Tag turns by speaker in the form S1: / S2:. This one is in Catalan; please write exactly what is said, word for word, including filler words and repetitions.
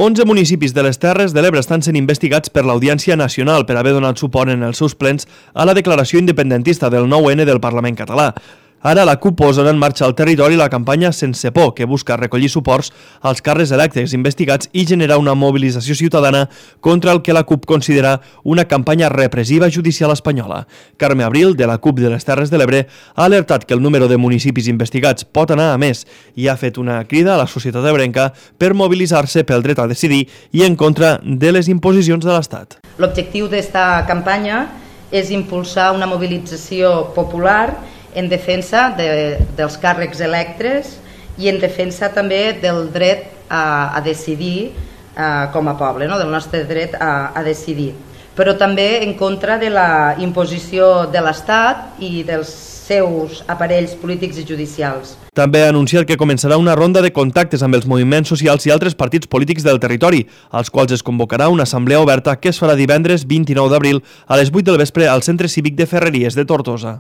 S1: onze municipis de les Terres de l'Ebre estan sent investigats per l'Audiència Nacional per haver donat suport en els seus plens a la declaració independentista del nou ene del Parlament català. Ara la CUP posa en marxa al territori la campanya Sense Por, que busca recollir suports als càrrecs electes investigats i generar una mobilització ciutadana contra el que la CUP considera una campanya repressiva judicial espanyola. Carme Abril, de la CUP de les Terres de l'Ebre, ha alertat que el número de municipis investigats pot anar a més i ha fet una crida a la societat ebrenca per mobilitzar-se pel dret a decidir i en contra de les imposicions de l'Estat.
S2: L'objectiu d'esta campanya és impulsar una mobilització popular en defensa de, dels càrrecs electes i en defensa també del dret a, a decidir eh, com a poble, no? Del nostre dret a, a decidir, però també en contra de la imposició de l'Estat i dels seus aparells polítics i judicials.
S1: També ha anunciat que començarà una ronda de contactes amb els moviments socials i altres partits polítics del territori, als quals es convocarà una assemblea oberta que es farà divendres vint-i-nou d'abril a les vuit del vespre al Centre Cívic de Ferreries de Tortosa.